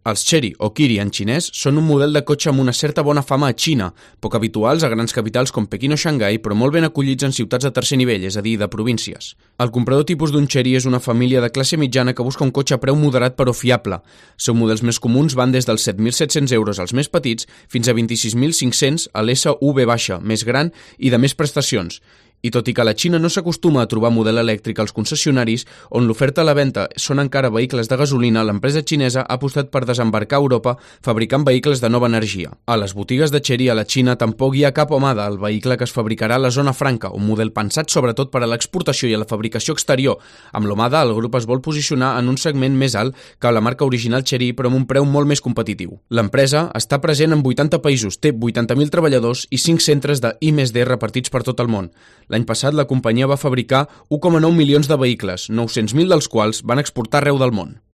Els Chery o Kiri en xinès són un model de cotxe amb una certa bona fama a Xina, poc habituals a grans capitals com Pequín o Xangai, però molt ben acollits en ciutats de tercer nivell, és a dir, de províncies. El comprador tipus d'un Chery és una família de classe mitjana que busca un cotxe a preu moderat però fiable. Els seus models més comuns van des dels 7.700 euros als més petits fins a 26.500 a l'SUV baixa, més gran i de més prestacions. I tot i que a la Xina no s'acostuma a trobar model elèctric als concessionaris, on l'oferta a la venda són encara vehicles de gasolina, l'empresa xinesa ha apostat per desembarcar a Europa fabricant vehicles de nova energia. A les botigues de Chery a la Xina tampoc hi ha cap Omada, el vehicle que es fabricarà a la zona franca, un model pensat sobretot per a l'exportació i a la fabricació exterior. Amb l'Omada, el grup es vol posicionar en un segment més alt que la marca original Chery, però amb un preu molt més competitiu. L'empresa està present en 80 països, té 80.000 treballadors i 5 centres de I+D repartits per tot el món. L'any passat, la companyia va fabricar 1,9 milions de vehicles, 900.000 dels quals van exportar arreu del món.